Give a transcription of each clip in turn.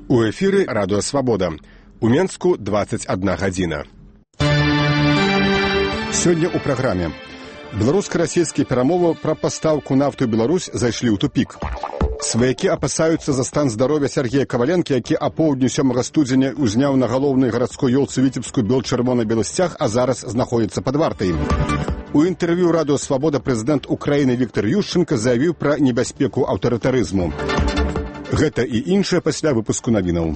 У эфіры радыё «Свабода». У Менску 21 гадзіна. Сёння ў праграме. Беларуска-расійскія перамовы пра пастаўку нафты ў Беларусь зайшлі ў тупік. Сваякі апасаюцца за стан здароўя Сергея Каваленкі, які апоўдню 7 студзеня узняў на галоўнай гарадской ёлцы Віцебскую бел-чырвона-белы сцяг, а зараз знаходзіцца пад вартай. У інтэрв'ю радыё «Свабода» прэзідэнт Украіны Віктор Ющенка заявіў пра небяспеку аўтарытарызму. Гэта і іншае пасля выпуску навінаў.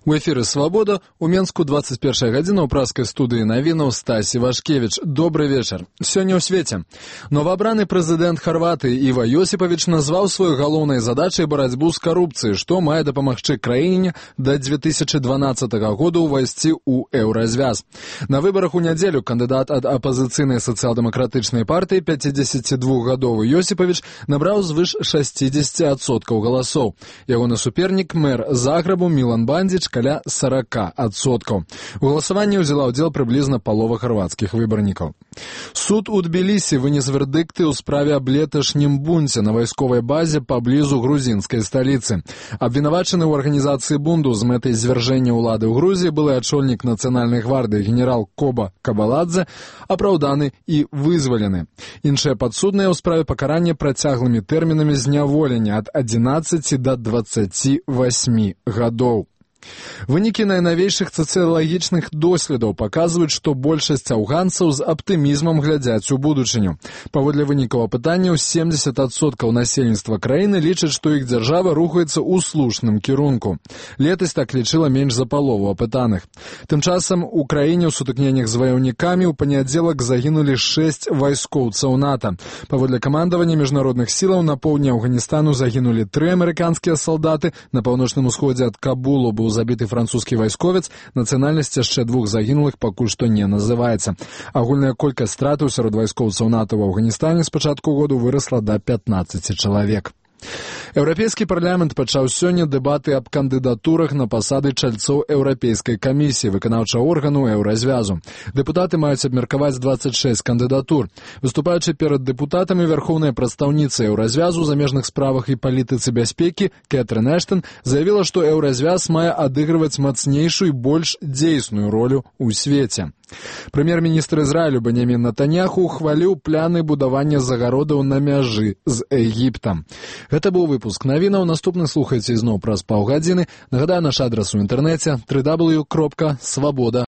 У эфіры «Свабода». У Менску 21 гадзіна ў праскай студыі навінаў Стасі Вашкевіч. Добры вечар. Сёння ў свеце. Новаабраны прэзідэнт Харватыі Іва Йосіпавіч назваў сваёй галоўнай задачай барацьбу з карупцыяй, што мае дапамагчы краіне да 2012 года ўвайсці ў еўразвяз. На выбарах у нядзелю кандыдат ад апазіцыйнай сацыял-дэмакратычнай партыі 52гадовы Йосіпавіч набраў звыш 60% галасоў. Ягоны супернік мэр Заграбу Мілан Бандзіч каля 40%. У галасаванні ўзяла ўдзел прыблізна палова харвацкіх выбарнікаў. Суд у Тбілісі вынес вердыкты ў справе аб леташнім бунце на вайсковай базе паблізу грузінскай сталіцы. Абвінавачаны ў арганізацыі бунту з мэтай звяржэння ўлады ў Грузіі былы ачольнік нацыянальнай гвардыі генерал Коба Кабаладзе апраўданы і вызвалены. Іншыя падсудныя ў справе пакарання працяглымі тэрмінамі зняволення ад 11 да 28 гадоў. Вынікі найнавейшых сацыялагічных доследаў паказваюць, што большасць афганцаў з аптымізмам глядзяць у будучыню. Паводле вынікаў апытанняў 70% насельніцтва краіны лічаць, што іх дзяржава рухаецца ў слушным кірунку. Летась так лічыла менш за палову апытаных. Тым часам у краіне ў сутыкненнях з ваяўнікамі ў панядзелак загінулі 6 вайскоўцаў НАТО. Паводле камандавання міжнародных сілаў на поўдні Афганістану загінулі 3 амерыканскія салдаты, на паўночным усходзе ад Кабулу быў забіты французскі вайсковец, нацыянальнасць яшчэ 2 загінулых пакуль што не называецца. Агульная колькасць стратаў сярод вайскоўцаў НАТО ў Афганістане з пачатку году вырасла да 15 чалавек. Еўрапейскі парламент пачаў сёння дэбаты аб кандыдатурах на пасады чальцоў Еўрапейскай камісіі, выканаўчага органу еўразвязу. Дэпутаты маюць абмеркаваць 26 кандыдатур. Выступаючы перад дэпутатамі вярхоўная прадстаўніца еўразвязу у замежных справах і палітыцы бяспекі Кэтрын Эштон заявіла, што еўразвяз мае адыгрываць мацнейшую і больш дзейсную ролю ў свеце. Прэм'ер-міністр Ізраілю Бенямін Нетаньяху хваліў пляны будавання загародаў на мяжы з Егіптам. Гэта быў выпуск навінаў. Наступны слухайце ізноў праз паўгадзіны. Нагадаю, наш адрас у інтэрнэце www.swaboda.org.